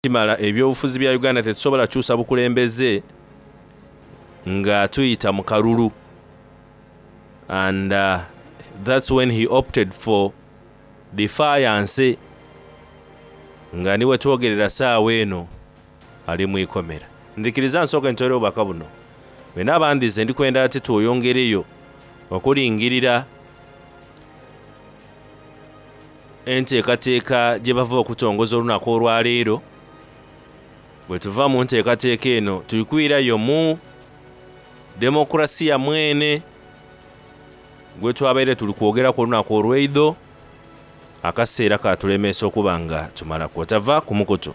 Kimala ebyobufuzi bya Uganda tetusobola kyusa bukulembeze nga tuyita mu kalulu and that's when he opted for defiance nga ni wetwogerera saawa eno ali mu ikomera. Ndhikiriza nsooke ntoole obubaka buno. Bwe naaba ndhize ndi kwenda ate tweyongereyo okulingirira Enteekateeka gye bava okutongoza olunaku olwaleero. Bwetuva mu nteekateeka eno tuli kwirayo mu demokulasiya mwene gwetwabaire tuli kwogeraku olunaku olweidho. Akaseera katulemeesa okuba nga tumalaku. Otava ku mukutu.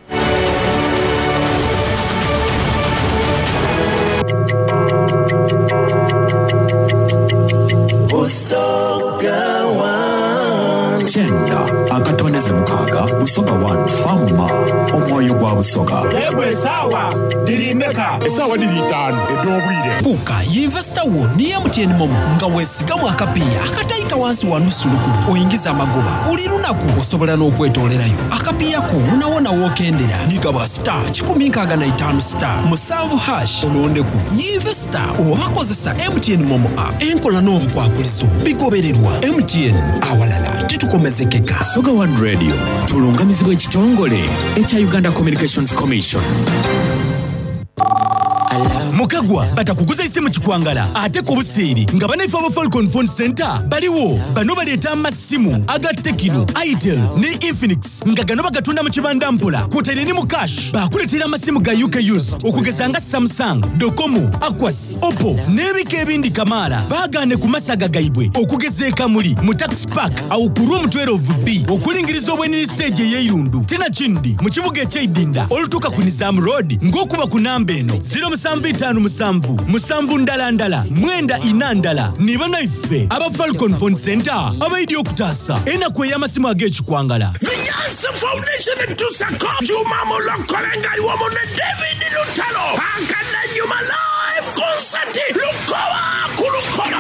Busoga One. Kyenda akatondeze mukaaga Busoga One Farmer omwoyo gwa Busoga. Yegwe esaawa dhiri meka? Esaawa dhiri itaanu edh'obwire. Fuuka yinvesita wo ni MTN Momo nga wesigamu akapiiya akataika wansi wa nusu lukumi oingize amagoba buli lunaku. Osobola n'okwetoolerayo akapiiya ko wonawona w'okendera ni gaba star 165 star musanvu hash olondeku Yinvesita oba kozesa MTN Momo app. Enkola n'obukwakulizo bigobererwa. MTN, awalala titukomezekeka. Busoga One Radio tulungamizibwa ekitongole ekya Uganda Communications Commission. Mukagwa batakuguza isimu kikwangala ate ku buseere nga banaife aba Falcon Phone Center baliwo. Bano baleeta amasimu aga Tecno, Itel ne Infinix nga gano bagatunda mu kibanda mpola kwotaire ni mu cash. Bakuleetera amasimu ga UK used okugeza nga Samsung, Docomo, Aquas, Oppo n'ebika ebindi kamaala. Baagaane ku masaga gaibwe okugeza e Kamuli mu Tax Park agho ku Room 12B okulingiriza obwenini siteegi ey'eirundu tinakindi mu kibuga eky'e Idinda olutuuka ku Nizam Road ng'okuba ku namba eno, ziro musanvu itaanu musanvu, musanvu ndala ndala, mwenda ina ndala. Ni banaife aba Falcon Phone Centre abaidye okutaasa enaku ey'amasimu ag'ekikwangala. The Nyanza Foundation etusako Juma Mulokole nga ali wamu ne David Lutalo Akadanyuma Live Concert Lukoba ku Lukoba.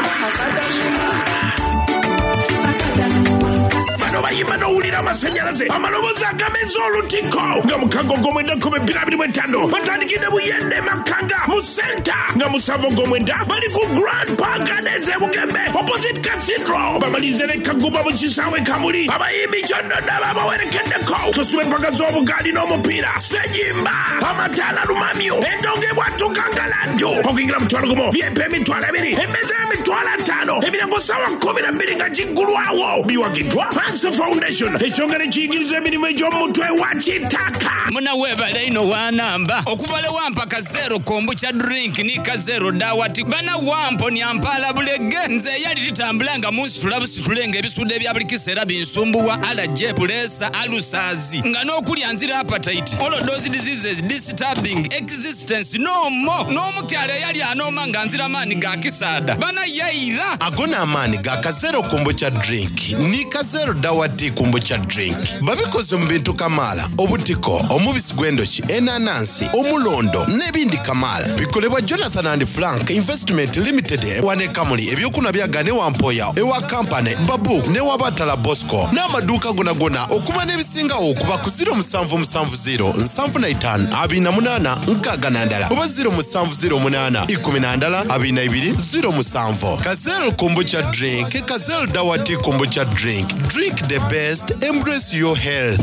Bano bayimba n'owulira amasanyalaze, amaloboozi agameza olutiko nga mukago ogw'omwenda kumi bbiri 25 batandikidde Buyende Makanga mu senta nga musanvu ogw'omwenda bali ku Grand Park Gardens e Bugembe opposite Cathedral bamalirize ne Kagumba mu kisaawe Kamuli. Abayimbi Kyoddodo ababawerekeddeko Tosubwa empaka z'obugaali n'omupiira Ssejimba, amataala lumamyo, endongo ebwatuka nga laddu, okuyingira mutwalo gumu, VIP emitwalo ebiri, emmeeza y'emitwalo ataano, emiryango ssaawa 12 nga giggulwawo. Biwagiddwa Panso Foundation, ekitongole ekiyigiriza emirimu egy'omu mutwe wa Kitaka. Muna webale inho wanamba okuva lwe wampa ka zero kombucha drink ni ka zero dawati bana wamponia mpaala bulege nze eyali titambula nga munsitula busitule nga ebisuudo ebya buli kiseera binsumbuwa allergy, puleesa, alusazi. Nga n'okulya nzira appetite, all those diseases disturbing existence no more. N'omukyala eyali anooma nga nzira maani ga kisaadha bana yaira. Ago n'amaani ga Kazero Kombucha Drink ni Kazero Dawa Tea Kombucha Drink. Babikoze mu bintu kamaala, obutiko, omubisi gw'endhoki, enanansi, omulondo n'ebindi kamaala. Bikolebwa Jonathan and Frank Investment Limited wano e Kamuli. Eby'okunhwa byagaana ewa Mpoya, ewa Kampane, Babu n'ewa Batala Bosco n'amaduuka gonagona. Okumanya ebisingagho kuba ku ziro musanvu musanvu ziro nsanvu na itaanu abiri na munaana nkaaga na ndala oba ziro musanvu ziro munaana ikumi na ndala abiri na ibiri ziro musanvu. Kazel Kombucha Drink, Kazel Dawa Tea Kombucha Drink, drink the best, embrace your health.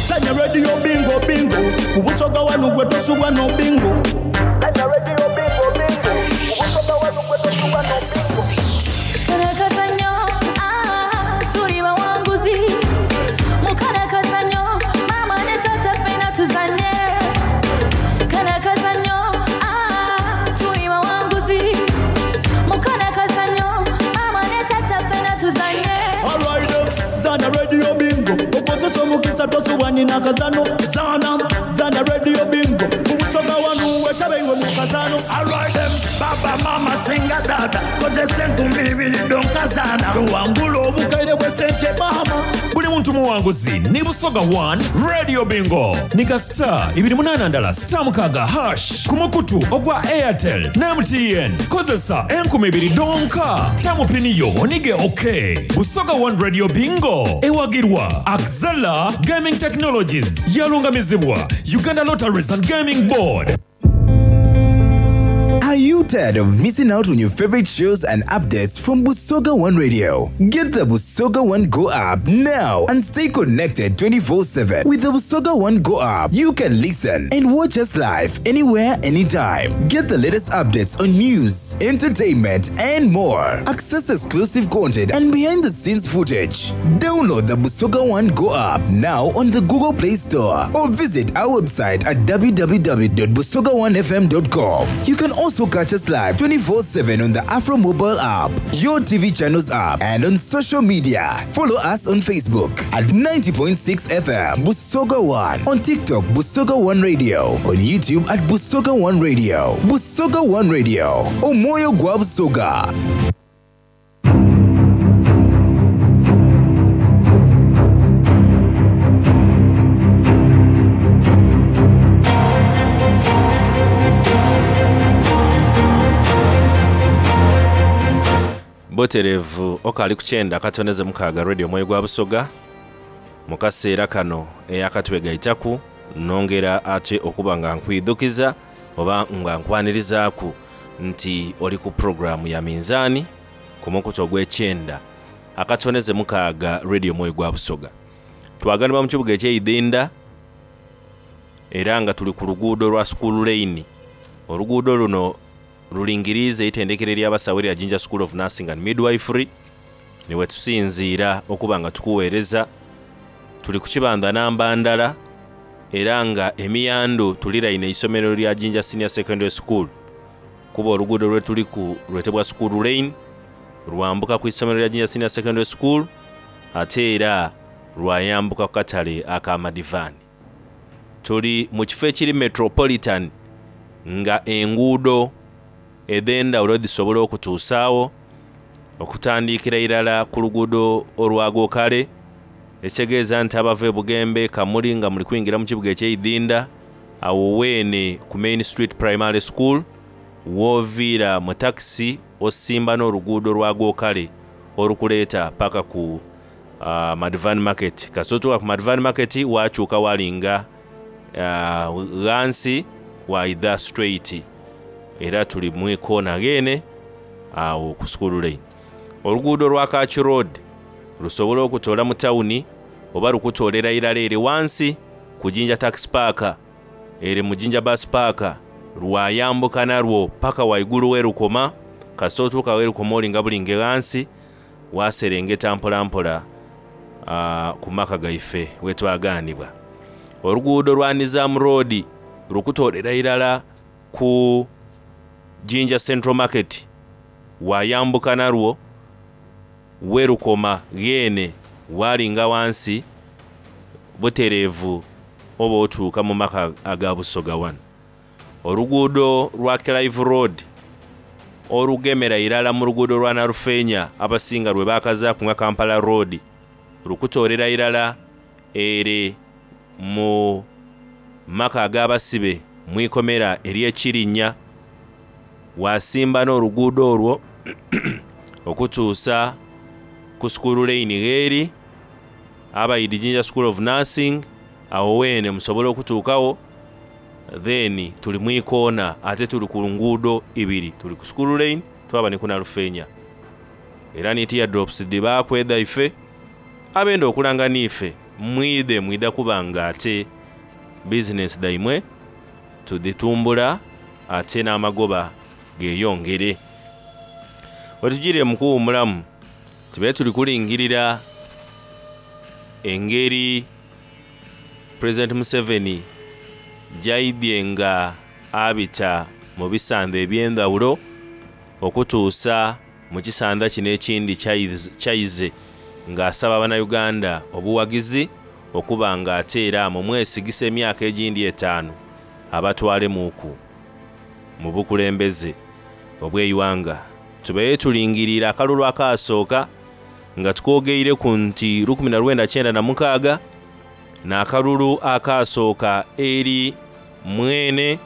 Sanya Radio Bingo Bingo ku Busoga wanu gwe tosubwa no bingo. Sanya Radio Bingo Bingo ku Busoga wanu gwe tosubwa no bingo. Kalakazanyo, ah, tuli bawanguzi. Mukalakazanyo, maama ne taata ffena tuzanye. Kalakazanyo, ah, tuli bawanguzi. Mukalakazanyo, maama ne taata ffena tuzanye. Alright, zana Radio Bingo okozesa omukisa tosubwa nina kazano. Zana, zana Radio Bingo ku Busoga wanu wetabe iwe mu kazano. Alright, baba mama singa tata kozesa enkumbi ibiri donka zana. Tuwangula obukaire bwe sente mama. Buli muntu muntu muwanguzi ni Busoga One Radio Bingo. Ni ka star ibiri munaana ndala star mukaaga hash ku mukutu ogwa Airtel ne MTN. Kozesa enkumi ibiri dhonka. Tamu pini yo onige OK. Busoga One Radio Bingo ewagirwa Axela Gaming Technologies yalungamizibwa Uganda Lotteries and Gaming Board. Are you tired of missing out on your favorite shows and updates from Busoga One Radio? Get the Busoga One Go app now and stay connected 24 7. With the Busoga One Go app, you can listen and watch us live anywhere, anytime. Get the latest updates on news, entertainment, and more. Access exclusive content and behind the scenes footage. Download the Busoga One Go app now on the Google Play Store or visit our website at www.busoga1fm.com. You can also catch us live 24 7 on the Afro Mobile app, your TV channels app, and on social media. Follow us on Facebook at 90.6 FM Busoga One, on TikTok Busoga One Radio, on YouTube at Busoga One Radio. Busoga One Radio, Omoyo Gwa Busoga. Butereevu okaali ku kyenda akatondeze mukaaga Radio Omwoyo gwa Busoga mu kaseera kano eyakatwegaitaku nongera ate okuba nga nkwidhukiza oba nga nkwanirizaku nti oli ku puroguramu ya minzaani ku mukutu ogw'ekyenda akatondeze mukaaga Radio Omwoyo gwa Busoga. Twaganibwa mu kibuga eky'eidinda era nga tuli ku luguudo lwa School Lane. Oluguudo luno lulingiriiza eitendekero ery'abasawo erya Jinja School of Nursing and Midwifery niwe tusinziira okuba nga tukuweereza. Tuli ku kibanda namba ndala era nga emiyando tuliraine eisomero lya Jinja Senior Secondary School kuba oluguudo lwe tuliku lwetebwa School Lane lwambuka ku isomero lya Jinja Senior Secondary School ate era lwayambuka ku katale aka Madivani. Tuli mu kifo ekiri metropolitan nga enguudo edh'endawulo dhisobola okutuusaawo okutandikira irala ku luguudo olwagokale ekitegeeza nti abava e Bugembe Kamuli nga muli kwingira mu kibuga eky'eidinda awo weene ku Main Street Primary School wooviira mu takisi osimba n'oluguudo lwagokale olukuleeta paka ku uh, Madvan Market. Kasita otuuka ku Madvan Market wakyuka walinga uh, ghansi waidha straight era tuli mwikoona gheene awo ku School Lane. Oluguudo lwa Kaki Road lusobola okutoola mu tawuni oba lukutoolera irala ere wansi ku Jinja Taxi Park ere mu Jinja Bus Park lwayambuka nalwo paka waigulu werukoma. Kasita otuuka werukoma olinga bulinge ghansi waserengeta mpolampola uh, ku maka gaife wetwaganibwa. Oluguudo lwa Nizam Road lukutoolera irala ku Jinja Central Market wayambuka nalwo werukoma gheene walinga wansi butereevu oba otuuka mu maka aga Busoga wano. Oluguudo lwa Clive Road olugemera irala mu luguudo lwa Narufeenya abasinga lwe bakazaaku nga Kampala Road lukutoolera irala ere mu maka ag'abasibe mwikomera ery'ekirinnya wasimba n'oluguudo olwo okutuusa ku School Lane gheeri abaidi Jinja School of Nursing awo weene musobola okutuukawo. Then tuli mwikoona ate tuli ku nguudo ibiri, tuli ku School Lane twaba ni ku Nalufeenya era ni teardrops dhibaaku edhaife. Abenda okulanga niife mwidhe mwidha kuba nga ate bizinensi dhaimwe tudhitumbula ate n'amagoba geeyongere. Wetugire mu kuwummulamu tube tuli kulingirira engeri President Museveni gy'aidhye nga abita mu bisanda eby'endhawulo okutuusa mu kisanda kino ekindi kyaize ng'asaba Bannayuganda obuwagizi okuba nga ate era mumwesigisa emyaka egindi etaanu abatwalemuuku mu bukulembeze obw'eighanga. Tubaire tulingiriire akalulu akaasooka Nga tukwogeireku nti 1996 n'akalulu akaasooka eri mwene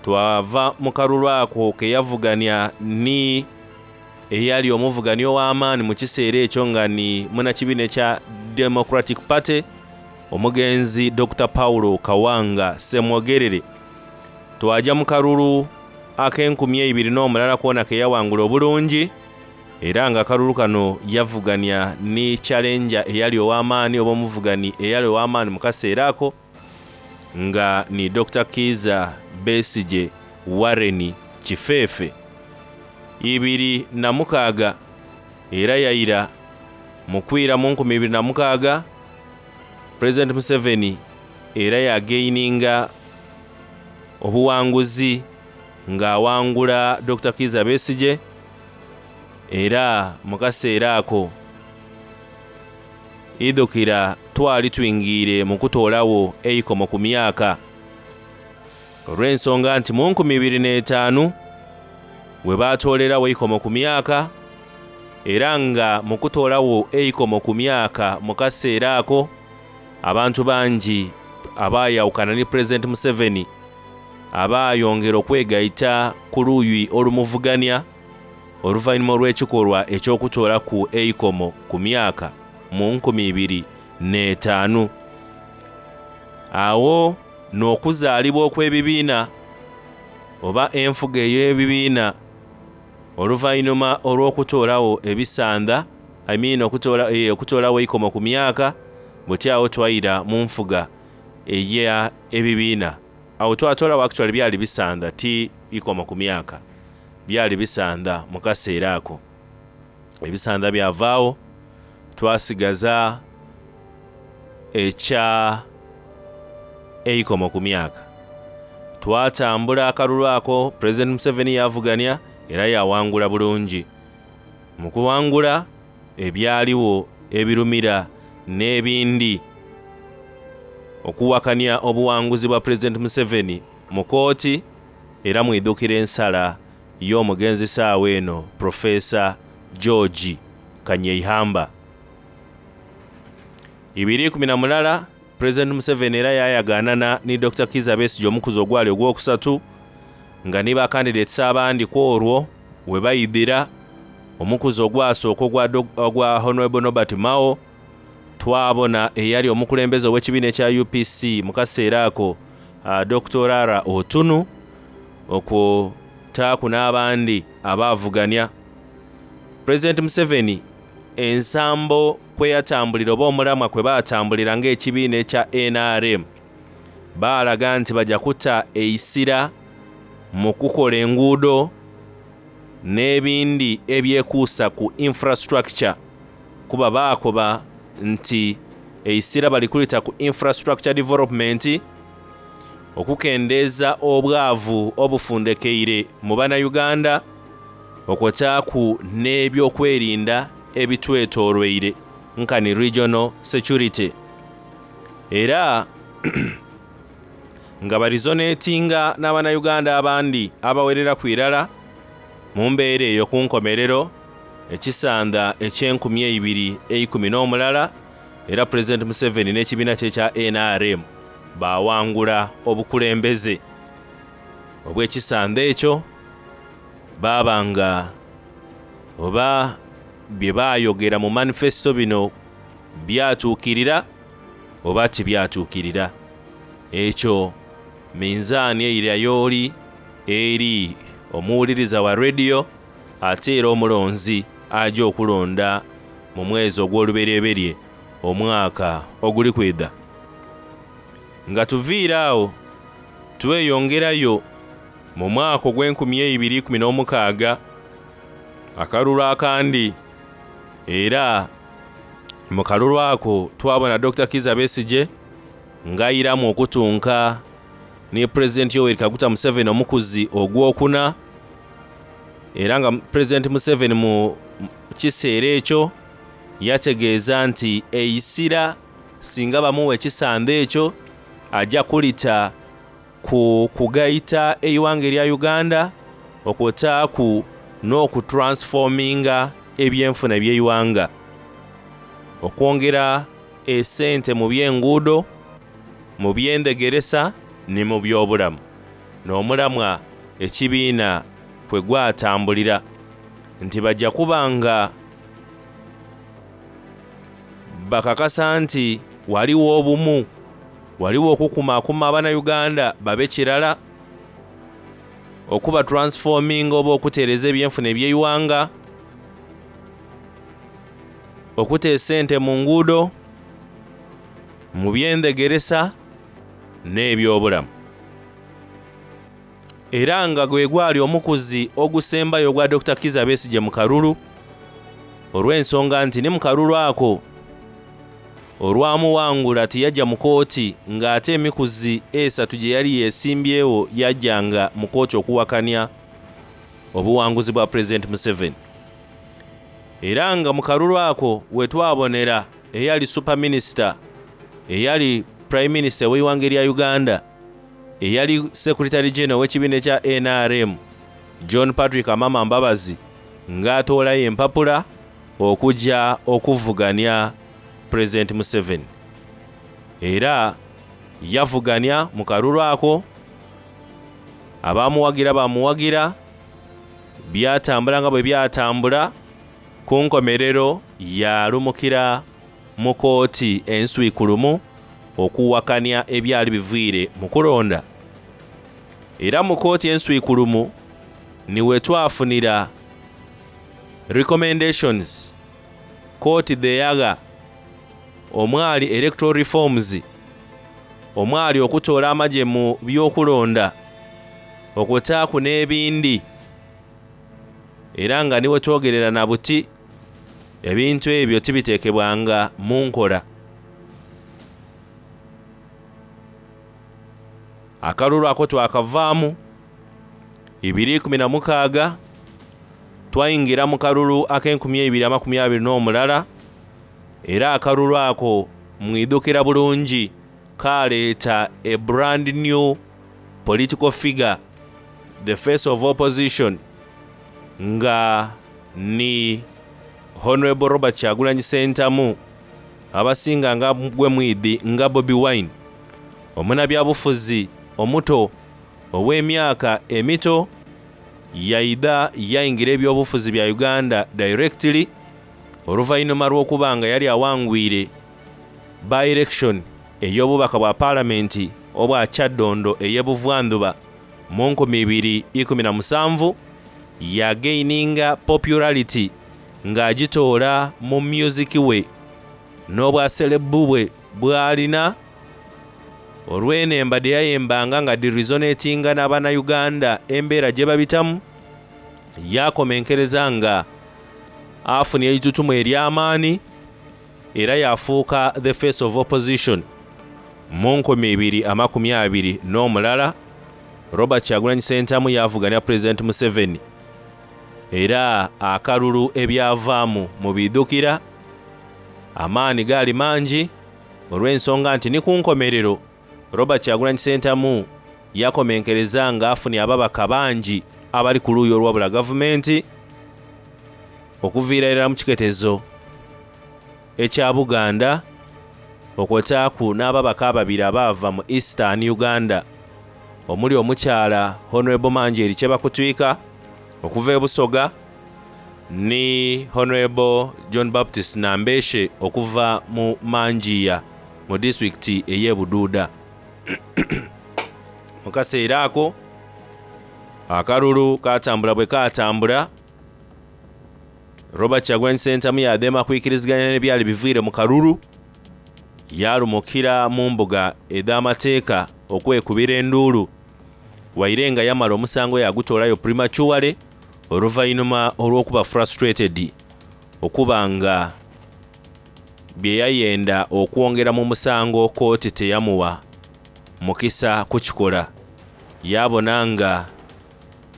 twava mu kalulu ako ke yavugania ni eyali omuvugania ow'amaani mu kiseera ekyo nga ni munakibiina ekya Democratic Party omugenzi Dr. Paulo Kawanga Ssemwogerere. Twaja mu kalulu ak'enkumi eibiri n'omulala kwona ke yawangula obulungi era nga akalulu kano yavugania ni challenger eyali ow'amaani oba omuvugani eyali ow'amaani mu kaseera ako nga ni Dr. Kiiza Besigye Warren Kifeefe. 2006 era yaira mu kwira mu 2006 President Museveni era yagaininga obuwanguzi ng'awangula Dr. Kiiza Besigye era mu kaseera ako idhukira twali twingiire mu kutoolawo eikomo ku myaka olw'ensonga nti mu 2005 we baatoolerawo eikomo ku myaka era nga mu kutoolawo eikomo ku myaka mu kaseera ako abantu bangi abaayawukana ni Pulezidenti Museveni abaayongera okwegaita ku luuyi olumuvugania oluvannyuma olw'ekikolwa eky'okutoolaku eikomo ku myaka mu 2005. Awo n'okuzaalibwa okw'ebibiina oba enfuga ey'ebibiina oluvannyuma olw'okutoolawo ebisanda I mean okutoola, eh, okutoolawo eikomo ku myaka buti awo twaira mu nfuga eya ebibiina. Awo twatoolawo actually byali bisanda ti ikomo ku myaka byali bisanda mu kaseera ako. Ebisanda byavaawo twasigaza ekya eikomo ku myaka. Twatambula akalulu ako President Museveni yavugania era yawangula bulungi. Mu kuwangula ebyaliwo ebirumira n'ebindi okuwakanya obuwanguzi bwa President Museveni mu kooti era mwidhukira ensala y'omugenzi saawa eno Professor George Kanyeihamba. 2011 President Museveni era yayagaanana ni Dr. Kiiza Besigye omukuzi ogwali ogwokusatu nga ni ba candidates abandi ku olwo we bayidhira omukuzi ogwasooka ogwa Honorable Norbert Mao twabona eyali omukulembeze ow'ekibiina ekya UPC mu kaseera ako uh, Dr. Rara Otunu okwo taaku n'abandi abaavugania. President Museveni ensambo kwe yatambulira oba omulamwa kwe baatambulira ng'ekibiina ekya NRM baalaga nti bajja kuta eisira mu kukola enguudo n'ebindi ebyekuusa ku infrastructure kuba baakoba nti eisira bali kulita ku infrastructure development okukendeeza obwavu obufundekeire mu bannayuganda okwotaaku n'ebyokwerinda ebitwetoolweire nkani regional security era nga barizonetinga n'abannayuganda abandi abawerera ku irala mu mbeera eyo ku nkomerero ekisanda eky'enkumi eibiri eikumi n'omulala era President Museveni n'ekibiina kye ekya NRM baawangula obukulembeze obw'ekisanda ekyo baaba nga oba bye baayogera mu manifesto bino byatuukirira oba tibyatuukirira. Ekyo minzaani eira y'oli eri omuwuliriza wa rediyo ate era omulonzi aja okulonda mu mwezi ogw'olubereberye omwaka oguli kwidha. Nga tuviire awo tweyongerayo mu mwaka ogw'enkumi eibiri ikumi n'omukaaga akalulu akandi era mu kalulu ako twabona Dr. Kiiza Besigye ng'ayiramu okutunka ni Pulezidenti Yoweri Kaguta Museveni omukuzi ogwokuna era nga Pulezidenti Museveni mu kiseera ekyo yategeeza nti eisira singa bamuwa ekisanda ekyo ajja kulita ku kugaita eighanga erya Uganda okwotaaku n'okutransforminga ebyenfuna eby'eighanga. Okwongera esente mu by'enguudo, mu by'endhegeresa ni mu by'obulamu n'omulamwa ekibiina kwe gwatambulira nti baja kuba nga bakakasa nti waliwo obumu, waliwo okukumaakuma Abannayuganda babe kirala, okuba transforminga oba okutereeza ebyenfuna eby'eighanga, okuta esente mu nguudo, mu by'endhegeresa n'ebyobulamu. Era nga gwe gwali omukuzi ogusembayo ogwa Dokita Kizza Besigye mu kalulu olw'ensonga nti ni mu kalulu ako olwamuwangula tiyajja mu kooti ng'ate emikuzi esatu gye yali yeesimbyewo yajjanga mu kooti okuwakanya obuwanguzi bwa Pulezidenti Museveni. Era nga mu kalulu ako we twabonera eyali Super Minisita, eyali Prime Minister w'eighanga erya Uganda, eyali Secretary General w'ekibiina ekya NRM, John Patrick Amama Mbabazi ng'atoolayo empapula okujja okuvuganya Pulezidenti Museveni. Era yavuganya mu kalulu ako, abamuwagira bamuwagira, byatambula nga bwe byatambula, ku nkomerero yalumukira mu kooti enswikulumu okuwakanya ebyali biviire mu kulonda. Era mu kooti enswikulumu ni we twafunira recommendations kooti dheyagha omwali electoral reforms, omwali okutoola amagye mu by'okulonda, okutaaku n'ebindi. Era nga ni wetwogerera na buti ebintu ebyo tibiteekebwanga mu nkola. Akalulu ako twakavaamu 2016, twayingira mu kalulu ak'enkumi eibiri amakumi abiri n'omulala, era akalulu ako mwidhukira bulungi kaleeta a brand new political figure, the face of opposition, nga ni Honorable Robert Kyagulanyi Ssentamu, abasinga nga gwe mwidhi nga Bobi Wine, omunabyabufuzi omuto ow'emyaka emito yaidha yaingira ebyobufuzi bya Uganda directly oluvannyuma lw'okuba nga yali awangwire by-election ey'obubaka bwa Palamenti obwa Kyaddondo ey'e Buvandhuba mu 2017, yagaininga popularity ng'agitoola mu music we n'obwa celeb bwe bw'alina olw'enemba dhe yayembanga nga dhiresonatinga n'Abannayuganda embeera gye babitamu, yakomenkereza nga afunye eitutumu ery'amaani era yafuuka the face of opposition. Mu 2021 Robert Kyagulanyi Ssentamu yavuganya Pulezidenti Museveni, era akalulu ebyavaamu mubidhukira amaani gaali mangi olw'ensonga nti ni ku nkomerero Robert Kyagulanyi Ssentamu yakomenkereza nga afunye ababaka bangi abali ku luuyi olwabula gavumenti okuviira irala mu kiketezo ekya Buganda okwotaaku n'ababaka ababiri abaava mu Eastern Uganda omuli omukyala Honorable Manjeri Kyebakutwika okuva e Busoga ni Honorable John Baptist Nambeshe okuva mu Manjiya mu disitulikiti ey'e Buduuda. Mu kaseera ako akalulu katambula bwe katambula, Robert Kyagulanyi Ssentamu yadheema kwikiriziganya n'ebyali biviire mu kalulu, yalumukira mu mbuga edh'amateeka okwekubira enduulu, waire nga yamala omusango yagutoolayo prematurely oluvannyuma olw'okuba frustrated okuba nga bye yayenda okwongera mu musango kooti teyamuwa mukisa kukikola. Yabona nga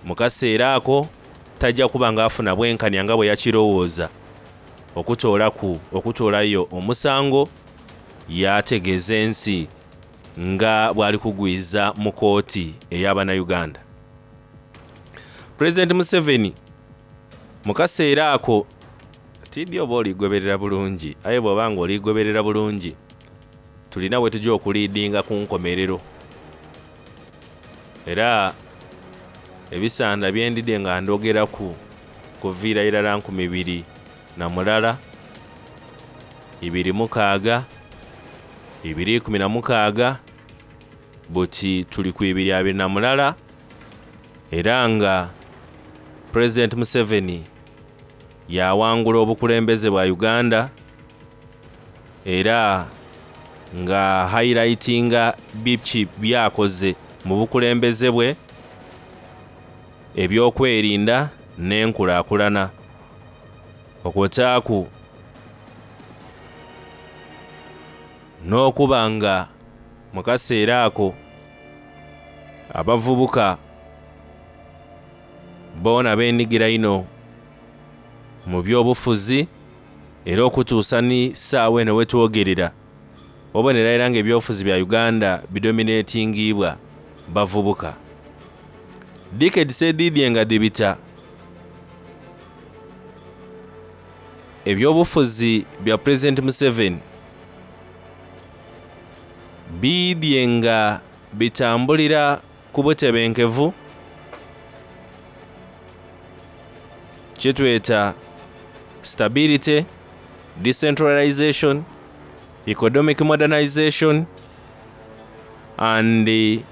mu kaseera ako tajja kuba nga afuna bwenkanya nga bwe yakirowooza okutoolaku okutoolayo omusango, yategeeza ensi nga bw'ali kugwiza mu kooti ey'Abannayuganda. Pulezidenti Museveni mu kaseera ako Tidhi oba oligoberera bulungi, aye bw'oba nga oligoberera bulungi, tulina we tugya okuliidinga ku nkomerero. Era ebisanda bye ndidhye nga ndhogeraku kuviira irala 2001, 2006, 2016, buti tuli ku 2021 era nga Pulezidenti Museveni yawangula obukulembeze bwa Uganda era nga highlightinga biki byakoze mu bukulembeze bwe ebyokwerinda n'enkulaakulana okwotaaku n'okuba nga mu kaseera ako abavubuka boona beenhigira inho mu byobufuzi era okutuusa ni saawa eno wetwogerera obonera era nga ebyobufuzi bya Uganda bidominatingibwa bavubuka. Decades edhidhye nga dhibita, ebyobufuzi bya Pulezidenti Museveni biidhye nga bitambulira ku butebenkevu kyetweta stability, decentralization, economic modernization and the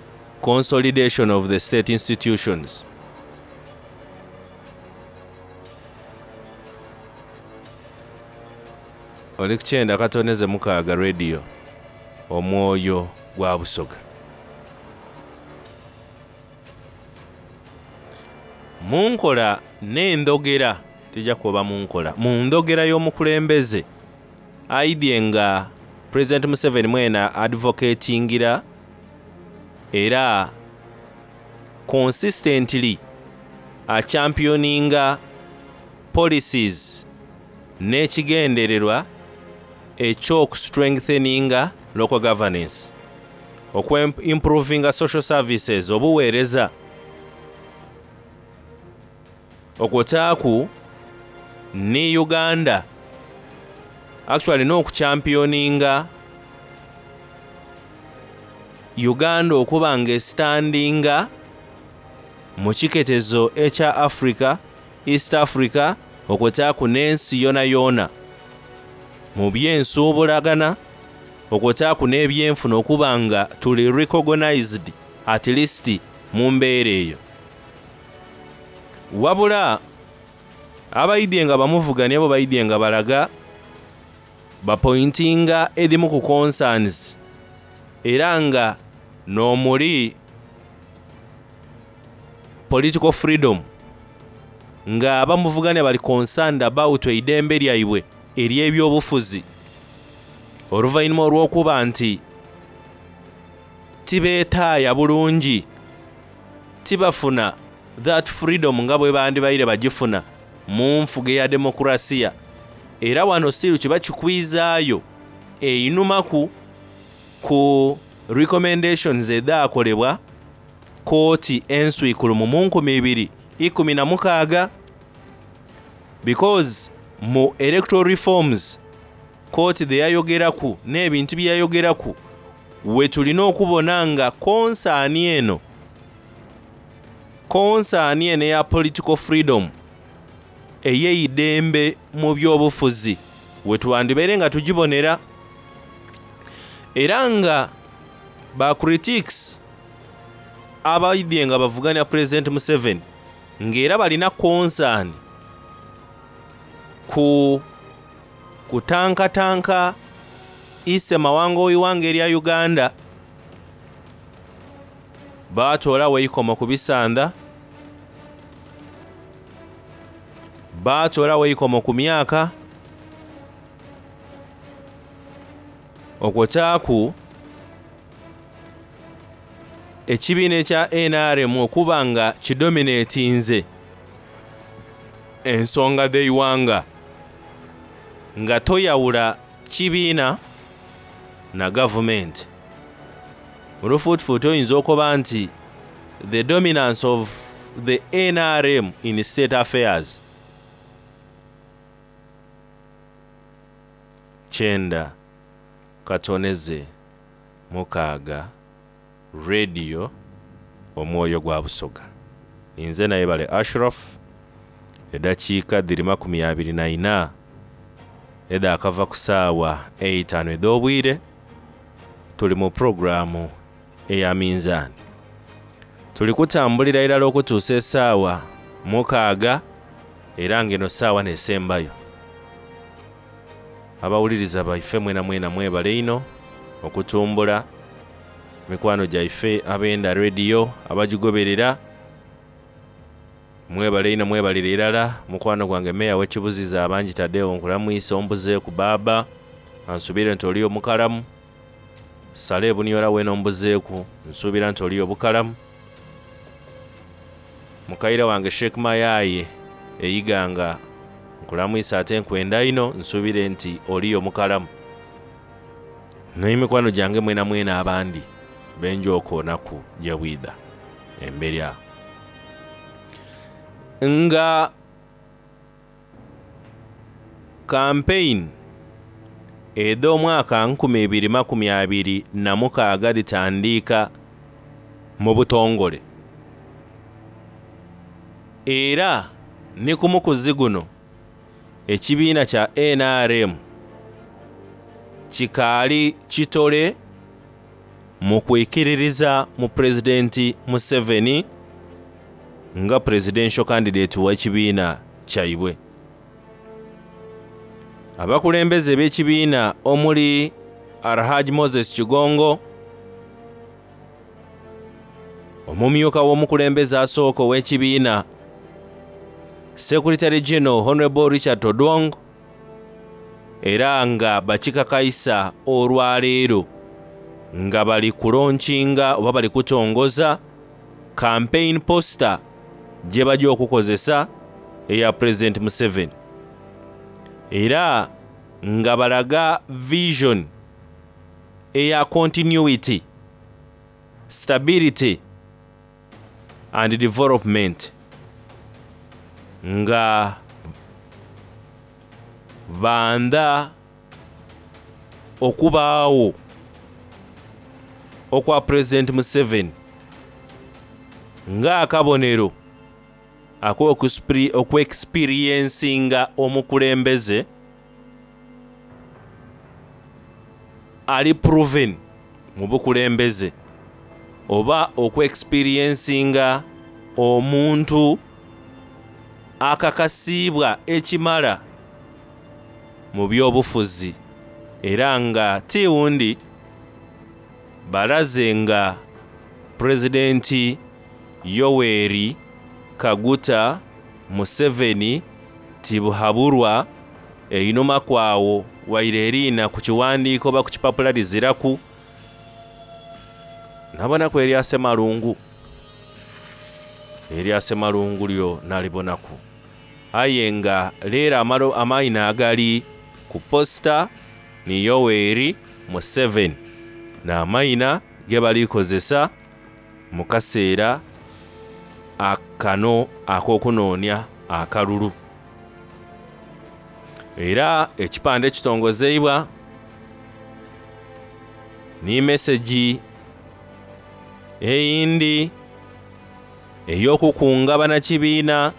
consolidation of the state institutions. Oli ku 96 Radio, omwoyo gwa Busoga. Mu nkola n'endhogera, tija kukoba mu nkola, mu ndhogera y'omukulembeze aidhye nga Pulezidenti Museveni mwene advocatingira era consistently achampioninga policies n'ekigendererwa eky'okustrengtheninga local governance, okwimprovinga social services, obuweereza, okwotaaku ni Uganda actually n'okuchampioninga Uganda okuba nga estandinga mu kiketezo ekya Africa, East Africa, okwotaaku n'ensi yonayona mu byensuubulagana, okwotaaku n'ebyenfuna okuba nga tuli recognized at least mu mbeera eyo. Wabula abaidhye nga bamuvugania bo baidhye nga balaga bapointinga edhimu ku concerns era nga n'omuli political freedom, nga abamuvugania bali concerned about eidembe lyaibwe ery'ebyobufuzi oluvannyuma olw'okuba nti tibeetaaya bulungi, tibafuna that freedom nga bwe bandibaire bagifuna mu nfuga eya demokrasiya. Era wano siru kiba kikwizaayo einumaku ku recommendations edhaakolebwa kooti enswikulumu mu 2016, because mu electoral reforms kooti dhe yayogeraku n'ebintu bye yayogeraku we tulina okubona nga concern eno, concern eno eya political freedom, ey'eidembe mu byobufuzi, we twandibaire nga tugibonera. Era nga ba critics abaidhye nga bavugania Pulezidenti Museveni ng'era balina concern ku kutankatanka ise mawanga ow'ighanga erya Uganda, baatoolawo eikomo ku bisandha, baatoolawo eikomo ku myaka, okwotaaku ekibiina ekya NRM okuba nga kidominatinze ensonga dh'eighanga nga toyawula kibiina na gavumenti. Mu lufuutifuuti oyinza okuba nti the dominance of the NRM in state affairs. kyenda katoneze mukaaga Radio Omwoyo gwa Busoga. Ninze Nayebale Ashraf, edakiika dhiri 24 edhakava ku saawa eitaanu edh'obwire, tuli mu pulogulaamu eya Minzaani. Tuli kutambulira irala okutuusa esaawa mukaaga era nga eno saawa n'esembayo. Abawuliriza baife mwenamwena mwebale inho okutumbula mikwano gyaife abenda rediyo abagigoberera mwebale inho mwebalire irala. Mukwano gwange meeya w'ekibuziza abangi Tadeo nkulamwisa ombuzeeku baaba ansuubire nti oliyo mukalamu. Sale ebuniola weena ombuzeeku nsuubira nti oliyo bukalamu. Mukaire wange Sheikh Mayaye e Iganga nkulamwisa ate nkwenda inho nsuubire nti oliyo mukalamu. N'emikwano gyange mwena mwena abandi benja okwonaku gye bwidha emberi agho. Nga kampeyini edh'omwaka 2026 dhitandiika mu butongole era ni ku mukuzi guno ekibiina kya NRM kikaali kitole mu kwikiririza mu Pulezidenti Museveni nga presidential candidate w'ekibiina kyaibwe. Abakulembeze b'ekibiina omuli Alhaji Moses Kigongo, omumyuka w'omukulembeze asooka ow'ekibiina, Secretary General Honorable Richard Todwong, era nga bakikakaisa olwaleero nga bali kulonkinga oba bali kutongoza campaign poster gye bajja okukozesa eya President Museveni era nga balaga vision eya continuity, stability and development nga banda okubaagho okwa Pulezidenti Museveni ng'akabonero ak'okwekisipiriyensinga omukulembeze ali proven mu bukulembeze oba okwekisipiriyensinga omuntu akakasiibwa ekimala mu by'obufuzi era nga ti wundi balaze nga Pulezidenti Yoweri Kaguta Museveni Tibuhaburwa einhuma kwagho waire eriina ku kiwandiiko oba ku kipapula liziraku nabonaku erya Ssemalungu. Erya Ssemalungu lyo nalibonaku. Aye nga leero amaina agali ku posita ni Yoweri Museveni n'amaina ge bali kozesa mu kaseera kano ak'okunoonia akalulu. Era ekipande kitongozeibwa ni mesegi eyindi ey'okukunga bannakibiina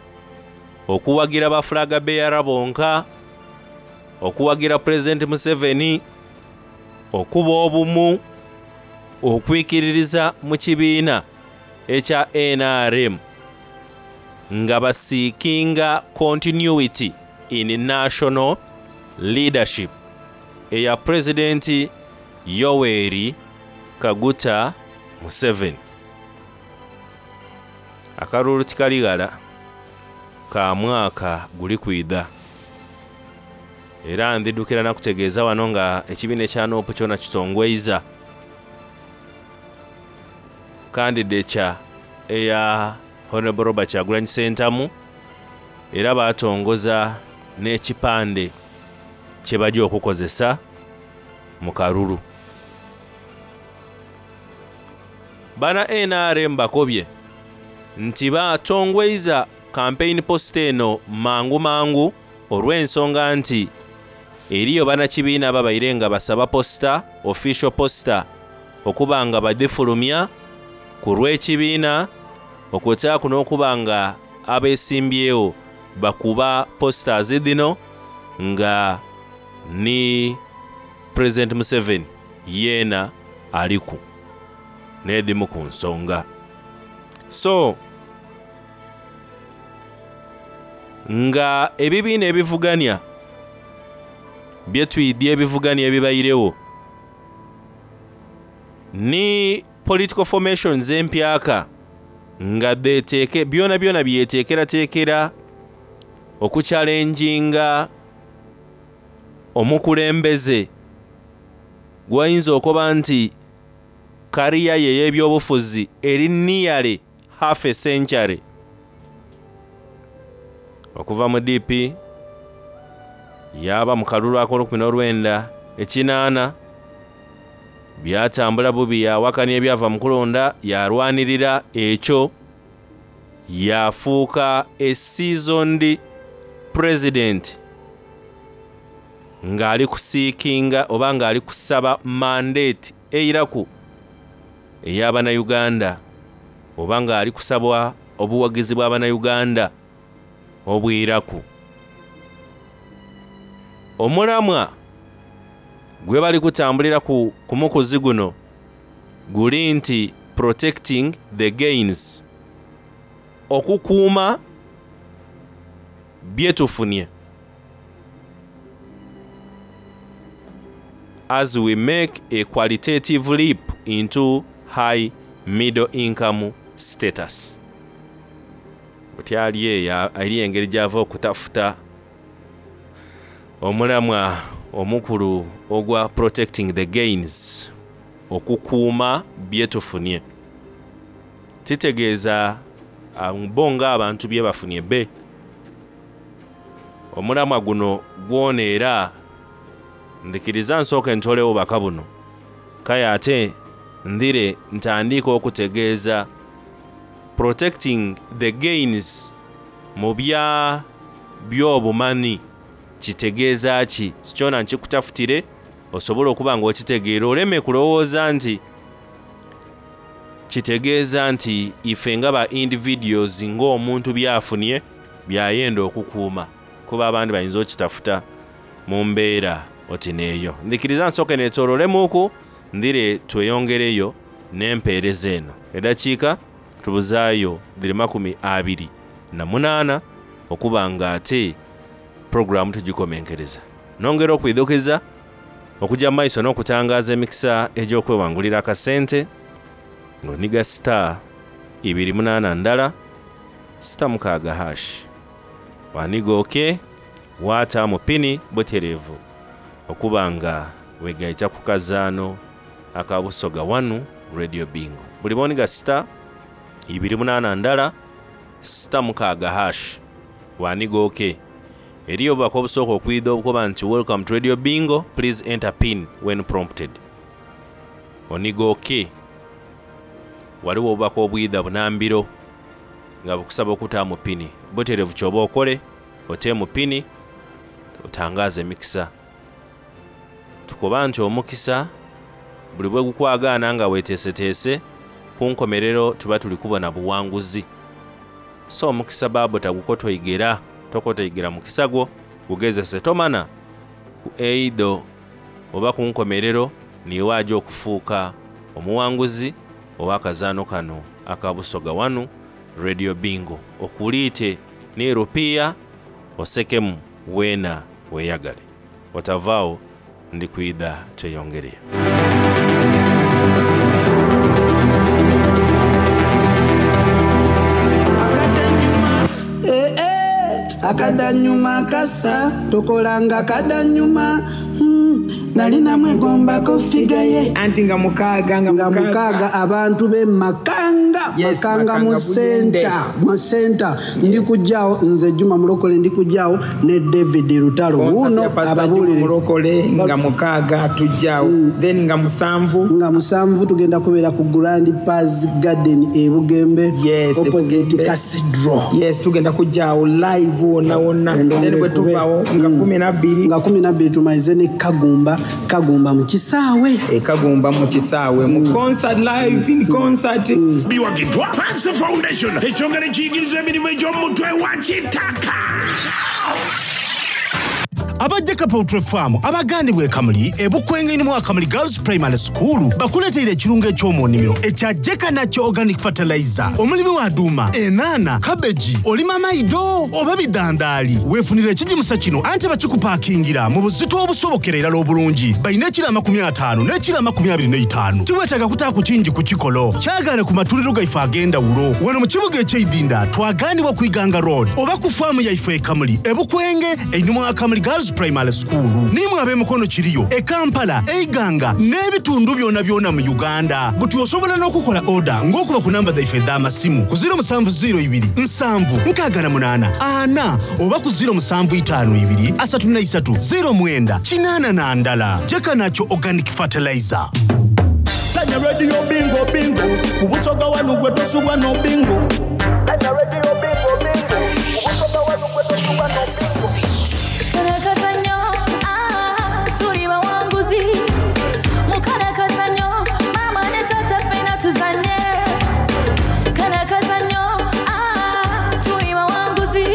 okuwagira ba flag bearer bonka, okuwagira Pulezidenti Museveni, okuba obumu, okwikiririza mu kibiina ekya NRM nga basiikinga continuity in national leadership eya Pulezidenti Yoweri Kaguta Museveni. Akalulu tikali ghala ka mwaka guli kwidha. Era ndhidhukira nakutegeeza wano nga ekibiina ekya Nuupu kyona kitongweiza kandidecha eya Honorable Robert Kyagulanyi Ssentamu era baatongoza n'ekipande kye baja okukozesa mu kalulu. Bana NRM bakobye nti batongweiza campaign poster eno mangu mangu olw'ensonga nti Eriyo bannakibiina ababaire nga basaba poster, official poster, okuba nga badhifulumya ku lw'ekibiina okwotaaku n'okuba nga abesimbyewo bakuba posters dhino nga ni President Museveni yeena aliku n'edhimu ku nsonga. So nga ebibiina ebivuganya byetwidhi ebivuganya ebibairewo ni political formations empyaka nga dheteeke byona byona byeteekerateekera okukyalenjinga omukulembeze gwayinza okuba nti kariya ye ey'ebyobufuzi eri nearly half a century okuva mu DP yaba mu kalulu ak'olukumi n'olwenda ekinaana byatambula bubi yawakanya ebyava mu kulonda yarwanirira ekyo yafuuka a seasoned president ng'ali kuseekinga oba ng'ali kusaba mandate eiraku ey'abannayuganda oba ng'ali kusaba obuwagizi bw'abannayuganda obwiraku. Omulamwa gwe bali kutambulira ku mukuzi guno guli nti protecting the gains, okukuuma byetufunye as we make a qualitative leap into high middle income status. Butyali eyo eri engeri gy'ava okutafuta omulamwa omukulu ogwa protecting the gains, okukuuma byetufunye. Kitegeeza bo ng'abantu bye bafunye be. Omulamwa guno gwona era ndikiriza nsooke ntolewo bubaka buno kale ate ndire ntandike okutegeeza protecting the gains mu bya by'obumanyi kitegeeza ki. Kyona nkikutafutire osobola okuba nga okitegeera oleme kulowooza nti kitegeeza nti ife nga ba individuals ng'omuntu byafunye byayenda okukuuma, kuba abandi bayinza okitafuta mu mbeera oti neeyo. Ndikiriza nsooke neetoololemuuku ndire tweyongereyo n'empeereza eno. Eddakiika tubuzaayo dhiri 28 okuba nga ate puroguramu tugikomenkereza. Nongera okwidhukiza okujja mu maiso n'okutangaaza emikisa egy'okwewangulira akasente ng'oniga star 281 star 6 hash waniga oke waataamu pini butereevu okuba nga wegaita ku kazaano aka Busoga 1 Radio Bingo. Buli bw'oniga star 281 star 6 hash waniga oke eriyo obubaka obusooka okwidha obukoba nti welcome to Radio Bingo, please enter pin when prompted. Oniga oke waliwo obubaka obwidha bunambiro nga bukusaba okutaamu pini butereevu kyoba okole oteemu pini otangaaze emikisa. Tukoba nti omukisa buli bwe gukwagaana nga weeteeseteese ku nkomerero tuba tuli kubona buwanguzi. So omukisa baabo tagukotoigera, tokotoigera mukisa gwo gugezese tomana ku eido oba ku nkomerero niiwe aja okufuuka omuwanguzi ow'akazaano kano aka Busoga 1 Radio Bingo. Okuliite ni rupiya osekemu weena weeyagale. Otavaawo ndi kwidha tweyongereyo. Eh, eh, akadanyuma kasa tokolanga kadanyuma. Nali namwegombako ffiga ye. Anti nga mukaaga nga mukaaga abantu be Makanga Yes, Makanga mu Makanga Buyende. center mu center ndi kujjaawo nze Juma Mulokole ndi kujjaawo ne David Lutalo Concert wuuno ya Pastor Juma ababuulire Mulokole nga mukaaga tujjaawo then nga musanvu nga musanvu tugenda kubeera ku Grand Paz Garden e Bugembe yes, opposite Bugembe. Cathedral yes tugenda kujjaawo live wonna wonna then bwe tuvaawo nga kumi nabbiri nga kumi nabbiri tumalize ne Kagumba Kagumba mu kisaawe e Kagumba mu kisaawe mu concert live in concert Biwagiddwa Pansi Foundation ekyongera ekiyigiriza emirimu egy'omutwe wa kitaka. Aba Jeka Poultry Farm abagandibwa e Kamuli e Bukwenge mu Kamuli Girls Primary School bakuleteire ekirungo eky'omu nnimiro ekya Jeka Natural Organic Fertilizer. Omulimi wa duuma, enaana, kabeji, olima maido oba bidandaali, weefunire ekigimusa kino anti bakikupaakingira mu buzito obusobokera irala obulungi. Balina ekiro 50 n'ekiro 25. Tiweetaaga kutaaku kingi ku kikolo. Kyagaane ku matundiro gaife ag'endawulo. Wano mu kibuga eky'eidinda twagaanibwa ku Iganga Road oba ku faamu yaife e Kamuli e Bukwenge einhuma wa Kamuli Girls Primary School. Nimwe ab'emikono kiriyo e Kampala, e Iganga n'ebitundu byona byona mu Uganda. Buti osobola n'okukola oda ng'okuba ku namba dhaife edh'amasimu ku 0702 768 4 oba ku 0752 33 09 81. Jeka Natural Organic Fertilizer. Sanya radio bingo bingo ku Busoga wanu gwe tosubwa no bingo. Sanya radio bingo bingo ku Busoga wanu gwe tosubwa no bingo. Kano ah, tuli bawanguzi. Mukana kazannyo, maama ne taata ffenna tuzannye. Kano akazannyo, ah, tuli bawanguzi.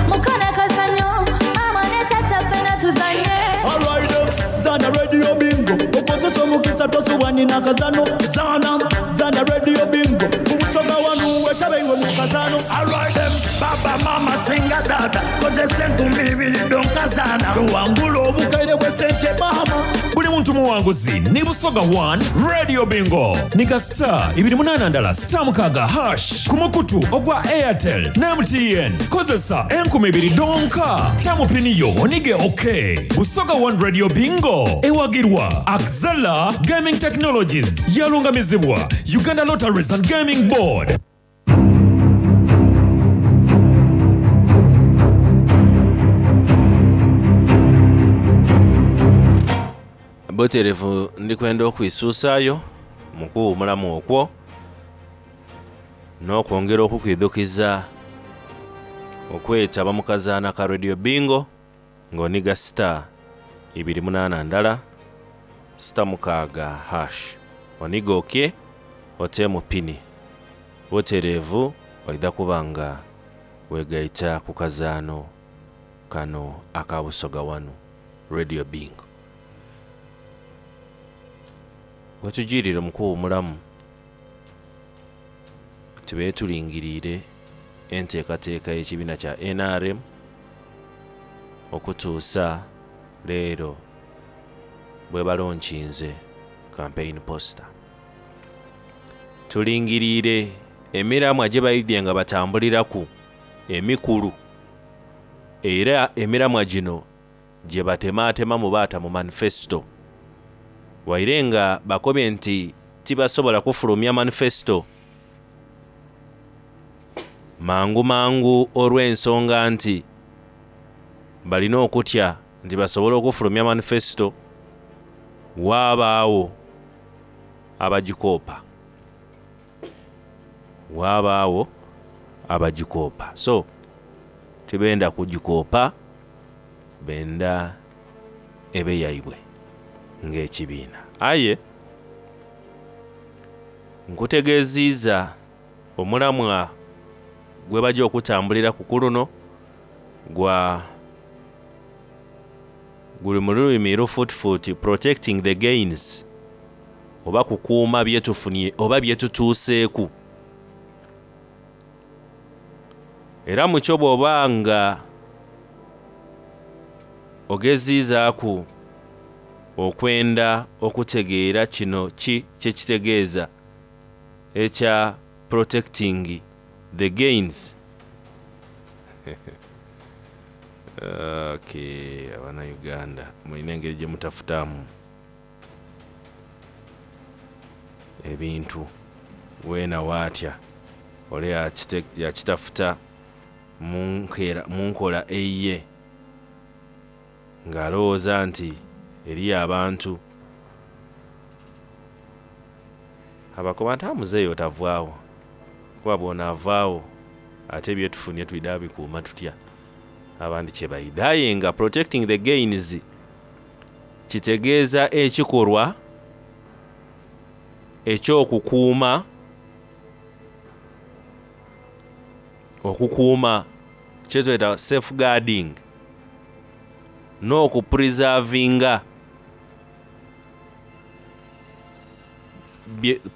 Mukana kazannyo, maama ne taata ffenna tuzannye. Alright, zana radio bingo okozesa omukisa tosubwa nina kazano zana zana radio bingo ku Busoga wanu wetabe iwe mu kazano. Alright, baba mama singa tata kozesa enkumbi ibiri donkazana tuwangula obukaire bwe sente mama. Buli muntu muwanguzi ni Busoga 1 Radio Bingo nika star 28 ndala star mukaaga hash ku mukutu ogwa Airtel ne MTN kozesa enkumi ibiri donka tamupiniyo onige ok Busoga 1 Radio Bingo ewagirwa Axela Gaming Technologies yalungamizibwa Uganda Lotteries and Gaming Board. Buterevu ndi kwenda okwisuusaayo mu kuwuumulamu okwo n'okwongera okukwidhukiza okwetaba mu kazaana ka Radio Bingo ng'oniga star ibiri munaana ndala star mukaaga hash oniga okye oteemu pini butereevu oidha kuba nga wegaita ku kazaano kano aka Busoga wanu Radio Bingo. Wetujiirire mu kuwuumulamu tube tulingiriire enteekateeka y'ekibiina kya NRM okutuusa leero bwe balonkinze campaign poster. Tulingiriire emiramwa gye baidye nga batambuliraku emikulu era emiramwa gino gye batemaatemamu baata mu manifesto. Waire nga bakobye nti tibasobola kufulumya manifesto mangu mangu olw'ensonga nti balina okutya nti basobole okufulumya manifesto waabaawo abagikoopa. Waabaawo abagikoopa. So tibenda kugikoopa benda ebe yaibwe ng'ekibiina. Aye nkutegeeziiza omulamwa gwe bajja okutambulira ku kuluno gwa guli mu lulimi lufuutifuuti protecting the gains oba kukuuma bye tufunye oba bye tutuuseeku. Era mu kyo bw'oba nga ogeziizaaku okwenda okutegeera kino ki kye kitegeeza ekya protecting the gains. Okay, abanauganda mulina engeri gye mutafutamu ebintu weena waatya ole yakitafuta mu nkola eyiye ng'alowooza nti eriyo abantu abakoba nti ah muzeeyi otavaawo kuba bw'onaavaagho ate byetufunie twidha bikuuma tutya abandi kye baidha aye nga protecting the gains kitegeeza ekikolwa eky'okukuuma okukuuma kyetweta safeguarding n'okupreservinga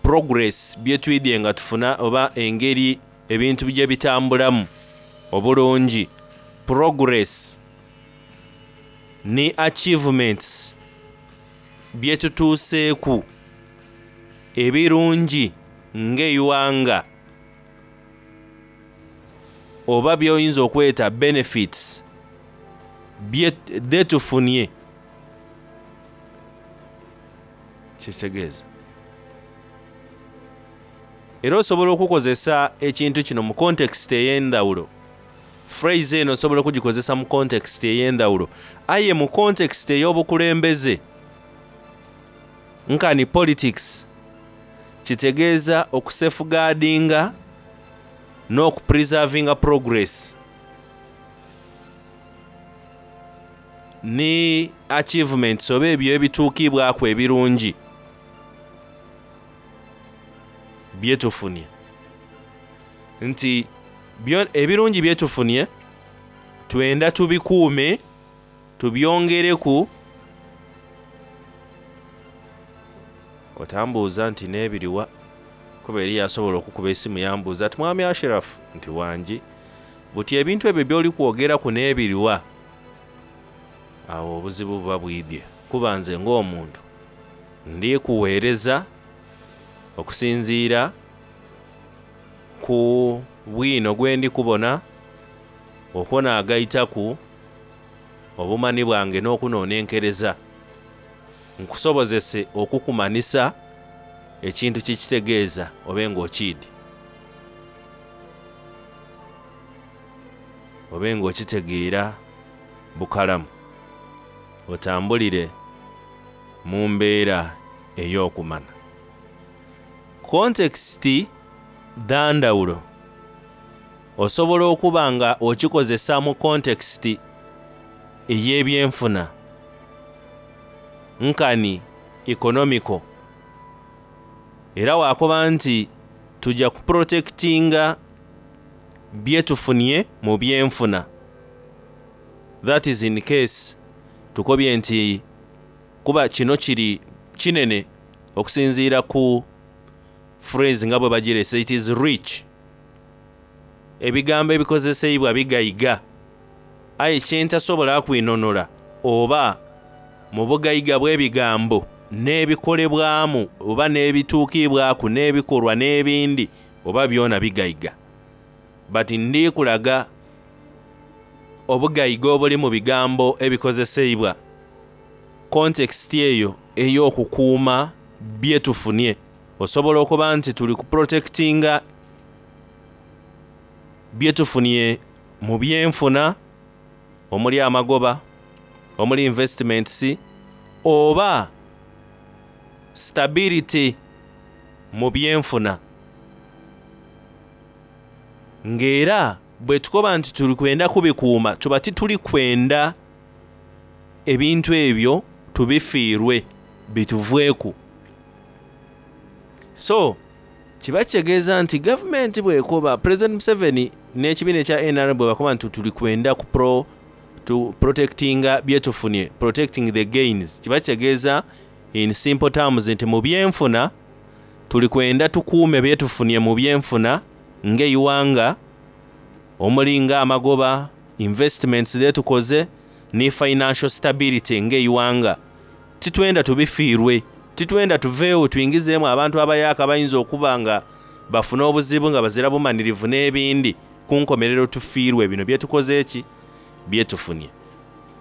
progress byetwidhye nga tufuna oba engeri ebintu gye bitambulamu obulungi progress ni achievements byetutuuseeku ebirungi ng'eighanga oba by'oyinza okweta benefits dhetufunie kitegeeza era osobola okukozesa ekintu kino mu context ey'endhawulo phrase eno osobola okugikozesa mu context ey'endhawulo aye mu context ey'obukulembeze nkani politics kitegeeza okusafeguardinga n'okupreservinga progress ni achievements oba ebyo ebituukibwaku ebirungi byetufunie nti ebirungi byetufunie twenda tubikuume tubyongereku. Otambuuza nti n'ebiriwa kuba eriyo asobola okukuba esimu yambuuza ati mwami Ashraf nti wangi buti ebintu ebyo by'oli kwogeraku n'ebiriwa awo obuzibu buba bwidhye kuba nze ng'omuntu ndi kuweereza okusinziira ku bwino gwendi kubona okwo naagaitaku obumani bwange n'okunonenkereza nkusobozese okukumanisa ekintu kye kitegeeza obe ng'okiidhi obe ng'okitegeera bukalamu otambulire mu mbeera ey'okumana. Kontekisiti dha ndhawulo. Osobola okuba nga okikozesa mu kontekisiti ey'ebyenfuna nkani economical era waakoba nti tuja kuprotekitinga byetufunie mu byenfuna that is in case tukobye nti kuba kino kiri kinene okusinziira ku phrase nga bwe bagirese it is rich ebigambo ebikozeseibwa bigaiga aye kyentasobola kwinonora oba mu bugaiga bw'ebigambo n'ebikolebwamu oba n'ebituukibwaku n'ebikolwa n'ebindi oba byona bigaiga but ndi kulaga obugaiga obuli mu bigambo ebikozeseibwa context eyo ey'okukuuma byetufunie osobola okuba nti tuli kuprotectinga byetufunie mu byenfuna omuli amagoba omuli investments oba stability mu byenfuna ng'era bwe tukoba nti tuli kwenda kubikuuma tuba tituli kwenda ebintu ebyo tubifiirwe bituvweku. So kiba kitegeeza nti gavumenti bw'ekoba President Museveni n'ekibiina ekya NRM bwe bakoba nti tuli kwenda ku pro to protectinga byetufunie protecting the gains kiba kitegeeza in simple terms nti mu byenfuna tuli kwenda tukuume byetufunie mu byenfuna ng'eighanga omuli ng'amagoba investments zetukoze ni financial stability ng'eighanga titwenda tubifiirwe titwenda tuveewo twingizeemu abantu abayaaka bayinza okuba nga bafuna obuzibu nga bazira bumanirivu n'ebindi ku nkomerero tufiirwe bino byetukoze eki Byetufunie.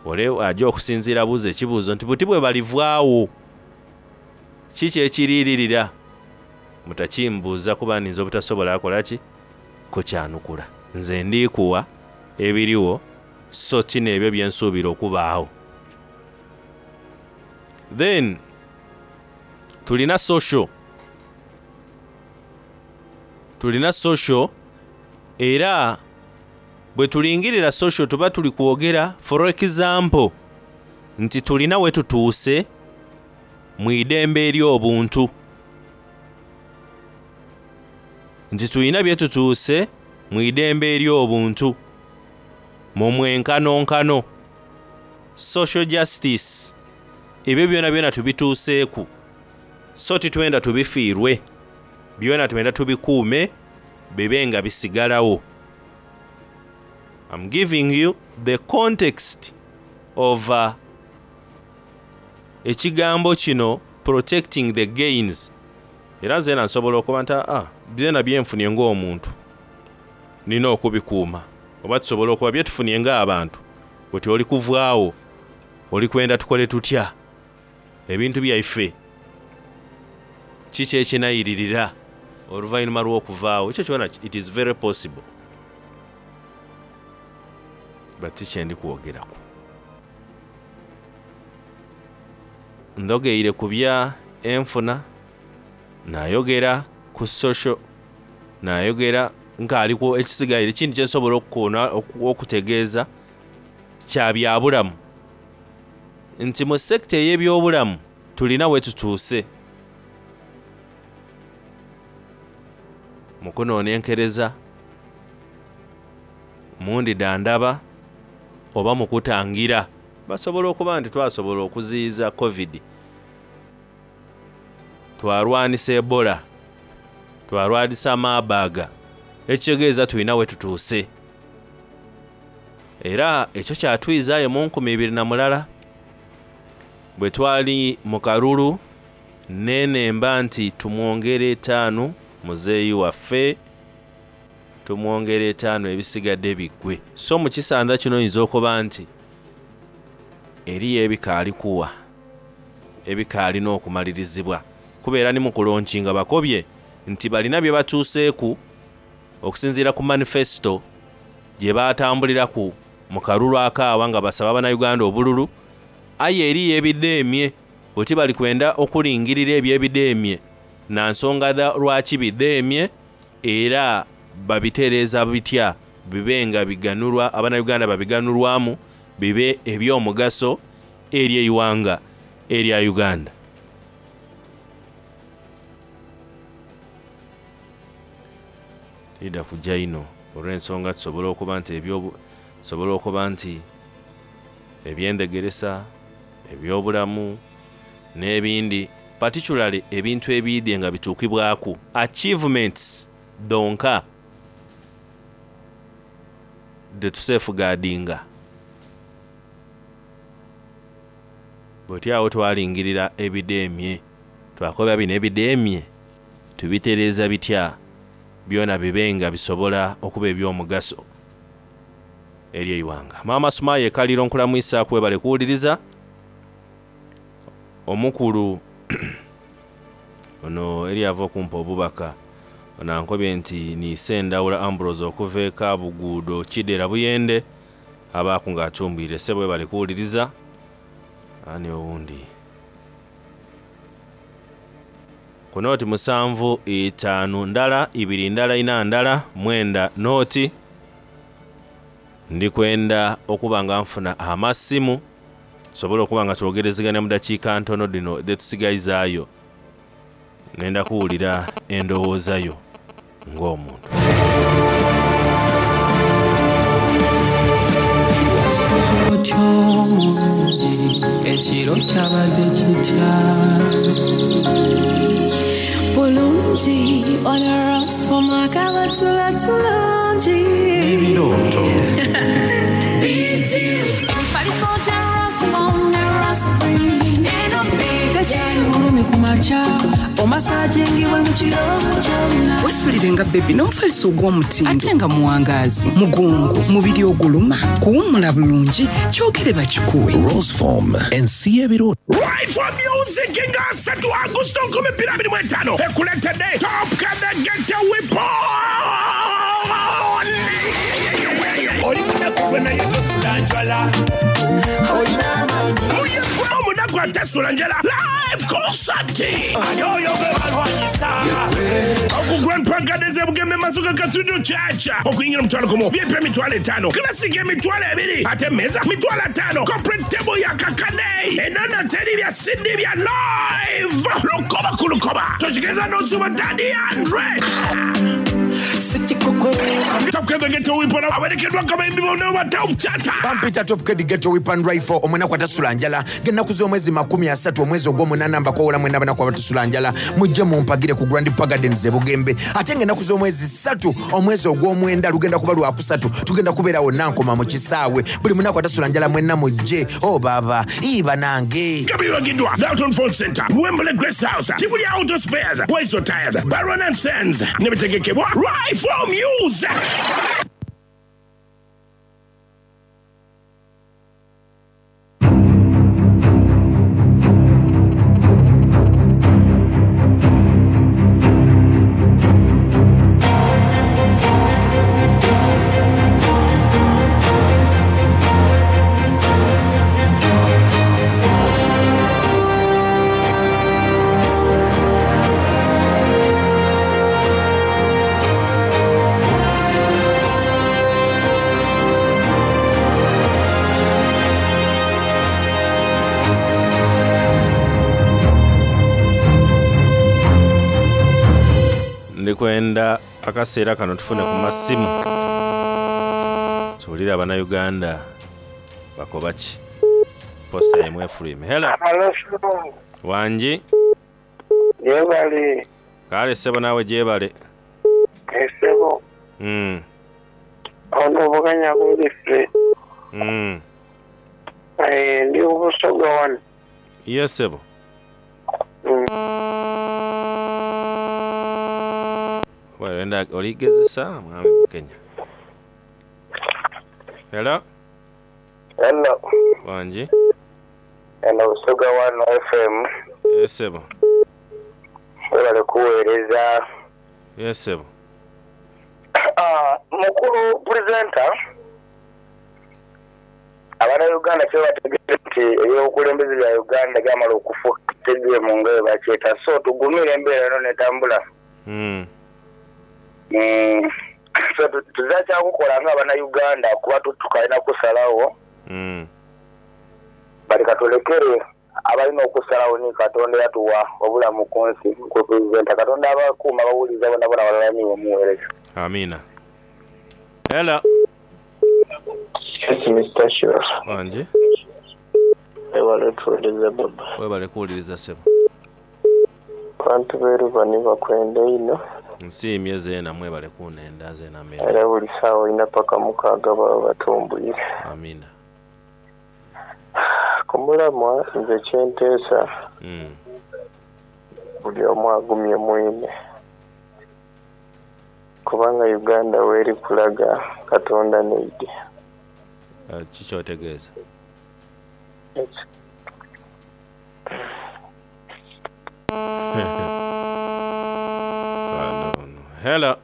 Ole aja okusinziira abuuza ekibuuzo nti buti bwe balivaawo kiki ekiriiririra? Mutakimbuuza kuba ninza obutasobola kola ki? Kukyanukula. Nze ndi kuwa ebiriwo so ti n'ebyo bye nsuubira okubaagho. Then tulina social. Tulina social era bwe tulingirira social tuba tuli kwogera for example nti tulina we tutuuse mu idembe ery'obuntu. Nti tulina bye tutuuse mu idembe ery'obuntu mu mwenkanonkano, social justice, ebyo byonabyona tubituuseeku so titwenda tubifiirwe, byona twenda tubikuume bibe nga bisigalagho. I'm giving you the context of ekigambo kino protecting the gains. Era nzena nsobola okuba nti aa byona byenfunie ng'omuntu nina okubikuuma, oba tusobola okuba byetufunie ng'abantu buti oli kuvaagho oli kwenda tukole tutya ebintu byaife kiki ekinairirira oluvainhuma lw'okuvaagho ekyo kyona it is very possible but ti kyendi kwogeraku. Ndhogeire ku bya enfuna, nayogera ku social, nayogera nkaaliku ekisigaire ekindi kyensobola okukoona okutegeeza kya byabulamu nti mu sector ey'ebyobulamu tulina wetutuuse mu kunonenkereza, mu ndidhandhaba oba mu kutangira. Basobola okuba nti twasobola okuziyiza Covid, twarwanisa Ebola, twarwanisa Marburg, ekitegeeza tulina wetutuuse. Era ekyo kyatwizaayo mu 2001 bwe twali mu kalulu nenemba nti tumwongere etaanu muzeeyi waffe, tumwongere etaanu ebisigadde biggwe. So mu kisandha kino oyinza okuba nti eriyo ebikaali kuwa, ebikaalina okumalirizibwa kuba era ni mu kulonkinga bakobye nti balina bye batuuseeku okusinziira ku manifesito gye baatambuliraku mu kalulu akaawa nga basaba Bannayuganda obululu aye eriyo ebidheemye buti bali kwenda okulingirira ebyo ebidheemye na nsonga dha lwaki bidheemye era babitereeza bitya bibe nga biganhulwa Abannayuganda babiganhulwamu bibe eby'omugaso eri eighanga erya Uganda. Tiidha kuja inho olw'ensonga tusobola okuba nti ebyo tusobola okuba nti eby'endhegeresa, eby'obulamu n'ebindi particularly ebintu ebiidhye nga bituukibwaku, achievements dhonka dhetusefugaadinga. Buti agho twalingirira ebidheemye, twakoba bino ebidheemye tubitereeza bitya byona bibe nga bisobola okuba eby'omugaso eri eighanga. Maama Sumaya e Kaliro nkulamwisaaku webale kuwuliriza. Omukulu ono eri ava okumpa obubaka ono ankobye nti ni Sendawula Ambrose okuva e Kabuguudo Kidera Buyende abaaku nga atumbwire. Ssebo webale kuwuliriza. Ani owundi? Ku nooti musanvu itaanu ndala ibiri ndala ina ndala mwenda nooti. Ndi kwenda okuba nga nfuna amasimu tusobole okuba nga twogerezegania mu dakiika ntono dhino dhetusigaizaayo. Nenda kuwulira endowooza yo ng'omuntu. Otyo mulungi ekiro kyabadde kitya? Bulungi onorosoma kabatula tulungi. Ebirooto. Emifaliso gya Rosmom ne Rosfree eno big Tekyali bulumi ku makya. makya omasajingibwe mu kiro kyonna Wesulire nga bebi n'omufaliso ogw'omutindo ate nga muwangaazi mugongo mubiri oguluma kuwummula bulungi kyogere bakikuwe. Roseform ensi y'ebirooto. Right for Music nga asatu Agusto 2025 ekuleetedde Top Kadegete Weapon. Oli munaku gwe naye tosula njala. Muyekwe omunaku atasula njala live concert. Ani oyo gwe balwanyisa? Oku Grand Park Gardens e Bugembe Masuka Cathedral Church. Okuyingira 50,000, VIP 50,000, Classic 20,000, ate emmeeza 50,000, corporate table ya kakade. Enono teri bya CD bya live. Lukoba ku lukoba. Tokigeza n'osuba Daddy Andre. Top Kid Ghetto Weapon awerekeddwa akabayimbi bonna ba Top Chata. Bampita Top Kid Ghetto Weapon Rifle omunaku atasula njala ng'ennaku z'omwezi 30 omwezi ogw'omunaana mbakoowola mwenna abanaku abatasula njala mujje mumpagire ku Grand Park Gardens e Bugembe ate ng'ennaku z'omwezi 3 omwezi ogw'omwenda lugenda kuba lwakusatu tugenda kubeera wonna nkoma mu kisaawe buli munaku atasula njala mwenna mujje o oh, baba ii banange. Nga biwagiddwa Dalton Phone Center, Wembley Grace House, Tibuli Auto Spares, Waiso Tires, Baron and Sons ne bitegekebwa Rifle Music. Ndikwenda akaseera kano tufune ku masimu tuwulire abannayuganda bakoba ki. Posta yemwe efulwime. Hello. Wangi. Yebale. Kale ssebo naawe gyebale. Esebo. Ono Bukenya Godfrey. Ndi Busoga wano. Yes ssebo. Wenda oligezesa mwami Bukenya. Hello. Hello. Wangi. Hello, Busoga 1 FM. Yes ssebo. Webale kuweereza. Yes ssebo. Mukulu presenter Abannayuganda kye bategedde nti ebyobukulembeze bya Uganda byamala okufuuka tegeemu nga bwe bakyeta so tugumire embeera eno netambula. So tuzira kyakukola nga Abannayuganda kuba tukalina kusalawo. But katulekere abalina okusalawo ni Katonda eyatuwa obulamu ku nsi mukulu presenter Katonda abakuuma abawuliriza bonabona walala niiwe omuweereza. Amina. Hello. Yes, Mr. Shura. Wangi. Webale otuwuliriza baba. Webale kuwuliriza ssebo. Abantu b'e Rubani bakwenda inho. Nsiimye zeena mwebale kunenda zeena mbenda. Era buli saawa ina paka mukaaga baba batumbwire. Amina. Ku mulamwa nze kye nteesa buli omu agumye mwine. Kubanga Uganda w'eri kulaga Katonda n'eidhi. Ki ky'otegeeza? Hello.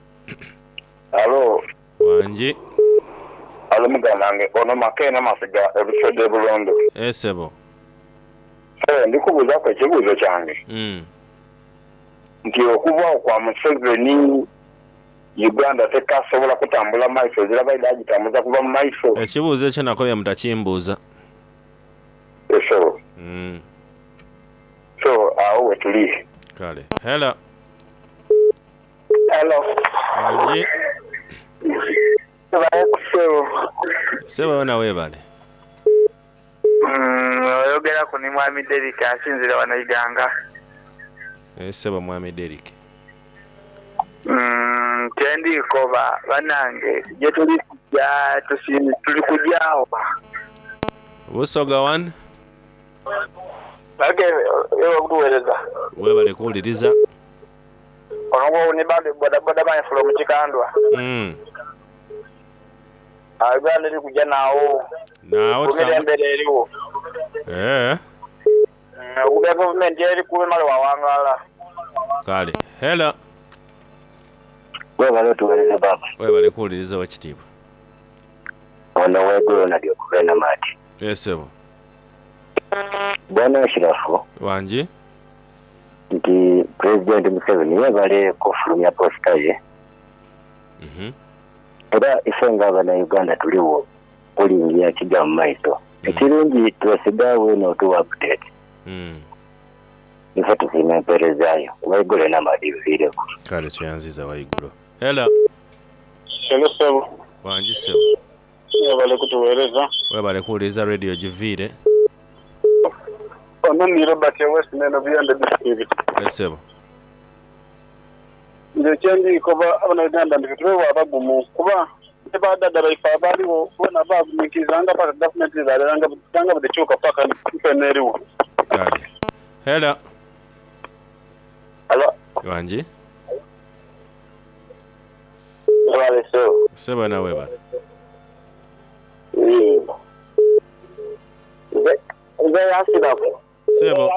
Halo. Wangi. Halo muganda wange ono Makeena Masiga e Buswedde e Bulondo. Eh sebo. Eh ndikubuuzaku ekibuuzo kyange nti okuvaawo kwa Museveni Uganda tekasobola kutambula maiso ezira baidha agitambuza kuva mu maiso? Ekibuuzo ekyo nakobye mutakimbuuza. Eh sebo. So agho wetuli. Kale. Hello. Hello. Wangi. Webale ssebo. Ssebo wena webale. Oyogeraku ni mwami Derrick asinzira wano Iganga. Eeh ssebo mwami Derrick. Kyendi koba banange gyetuli kuja tuli kuja wa? Busoga one. Webale kutuwereza. Webale kuwuliriza. Ono gwo ni bandi bodaboda man from Kikandwa. Mm. Ah, Uganda eri kuja naawo. Naawo Gumira embera eriwo. Eh. Okubya gavumenti eri kuba emale wawangala. Kale. Hello. Webale otuwereza baba. Webale kuwuliriza owekitiibwa. Ono wegulo nadi okuva e Namati. Yes sebo. Bwana Ashirafu. Wangi. Nti Pulezidenti Museveni yebale kufulumya posita ye. Era ife nga abanauganda tuliwo kulingiya kija mu maiso. Ekirungi twesiga weena otuwa update. Ife tusiima empeereza yo. Waigulo Namadi nviireku. Kale tweyanziza Waigulo. Hello. Hello sebo. Wangi sebo. Webale kutuwereza. Webale kuwuliriza radio giviire. Ono ni Robert e West Neno Buyende district. Yes sebo. Nze kyendi koba abanauganda nti tube abagumu kuba ne ba dada baife abaliwo bona baguminkirizanga paka gavumenti nga bwedhikyuka paka mpeno eriwo. Kale. Hello. Hello. Wangi. Webale sebo. Sebo na webale. Nze Yasiraku. Sebo.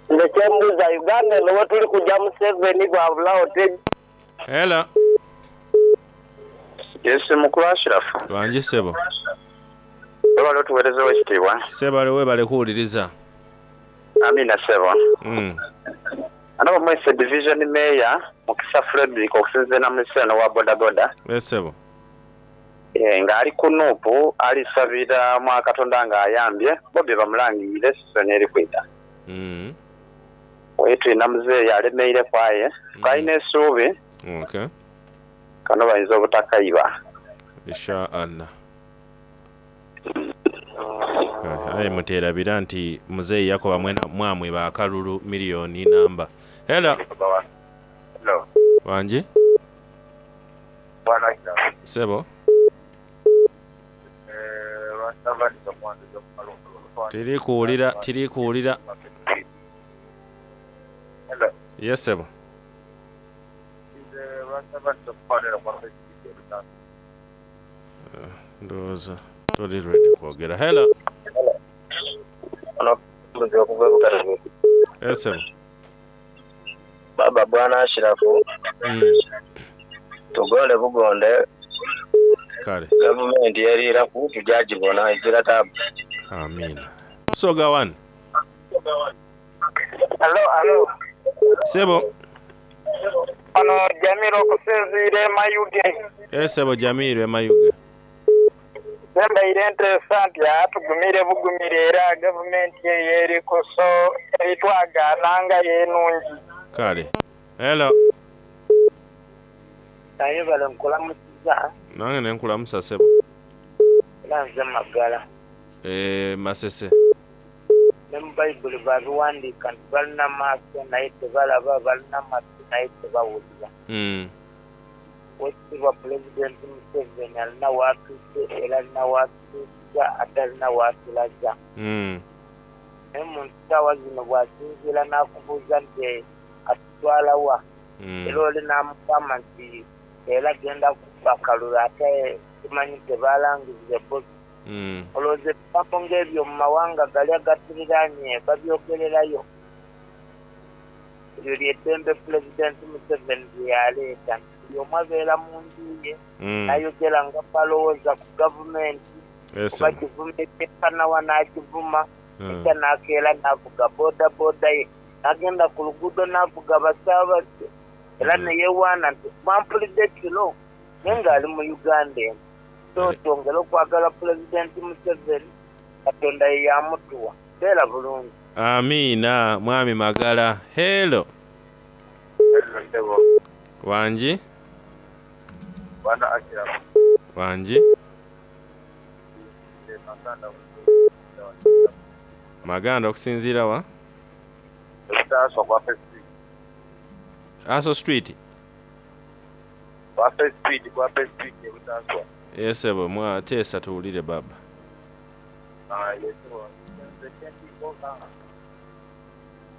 Nze kyembuuza Uganda eno wetuli kuja Museveni bwabulagho te. Hello. Yes, mukulu Ashirafu. Wangi sebo. Webale otuwereza owekitiibwa. Sebale webale kuwuliriza. Amina sebo. Ano Bamwese Division Mayor Mukisa Fredrick okusinziira na Muliseno owa bodaboda. Yes sebo. Eh, nga ali ku Nup alisabira mwa Katonda nga ayambye Bobi bamulangirire sizoni eri kwidha. Oye tulina muzeeyi alemeireku aye tukalina esuubi Okay. kano bayinza obutakaiba. Insha Allah. Kale, aye muterabira nti muzeeyi yakoba mwena mwamwiba akalulu million namba. Hello. Hello. Wangi? Sebo. Tiri kuwulira, tiri kuwulira. Yes sebo. Ndowooza toli ready kwogera. Hello. Yes sebo. Baba Bwana Ashirafu tugole bugonde Kale. gavumenti eriiraku tujagibona ezira taabu. Amina. Busoga one. Hello, hello. Sebo. Ono Jamiro okusinziira e Mayuge. Yes sebo Jamiru e Mayuge. Nze mbaire nteesa nti aa tugumire bugumire era gavumenti eyo eriku so eritwagaana nga yo enungi. Kale. Hello. Ayebale nkulamusiza Nange nenkulamusa sebo. era nze Magala. Eh, Masese. Ne mu Bayibuli babiwandiika nti balina maaso naye tebalaba, balina matu naye tebawulira. Owekitiibwa Pulezidenti Museveni alina w'atuuse era alina w'atutuusiza ate alina w'atulaza. Naye omuntu saawa zino bw'asinziira n'akubuuza nti atutwala wa, era oli n'amugamba nti era genda kubba kalulu ate tumanyi tebalangirire Bobi. Olowooza ebigambo ng'ebyo mu mawanga gali agaturiraanye babyogererayo? Eryo ly'eddembe Pulezidenti Museveni lye yaleeta nti buli omu abeera mu nju ye n'ayogera nga bw'alowooza ku gavumenti oba kivuma ekyenkana wa n'akivuma enkya n'akeera n'avuga bodaboda ye n'agenda ku luguudo n'avuga abasaabaze era ne yeewaana nti mwampulidde kiro naye ng'ali mu Uganda eno. So twongere okwagala Pulezidenti Museveni, Katonda ye yamutuwa. Beera bulungi. Amiina Mwami Magala. Hello. Wangi? Wangi? Maganda okusinziira wa? Aso Street. Yes sebo, mwateesa tuwulire baba.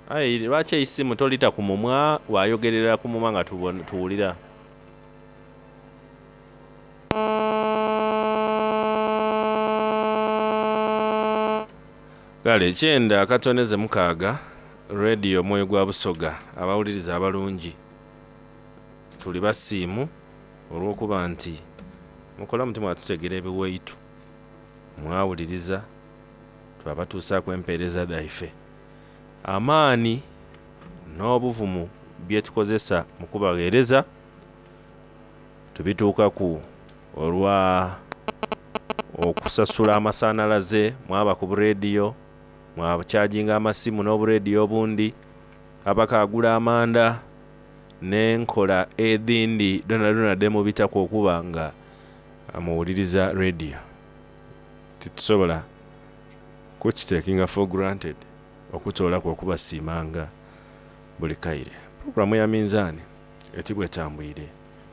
Aye lwaki eisimu tolita ku mumwa wayogerera ku mumwa nga tuwulira? Kale kyenda akatoneze mukaaga, Radio Omwoyo gwa Busoga, abawuliriza abalungi tuli basiimu olwokuba nti mukola muti mwatutegera ebiwaitu mwawuliriza twabatuusaaku empeereza dhaife. Amaani n'obuvumu bye tukozesa mu kubagheereza tubituukaku olwa okusasula amasanhalaze mwaba ku buleediyo, mwakyajinga amasimu n'obuleediyo obundi, abakaagula amanda n'enkola edhindi dhoonadhoona dhe mubitaku okuba nga muwuliriza leediyo. Titusobola kukitekinga for granted okutoolaku okubasiimanga buli kaire. Pulogulaamu ya Minzaani eti bwetambwire.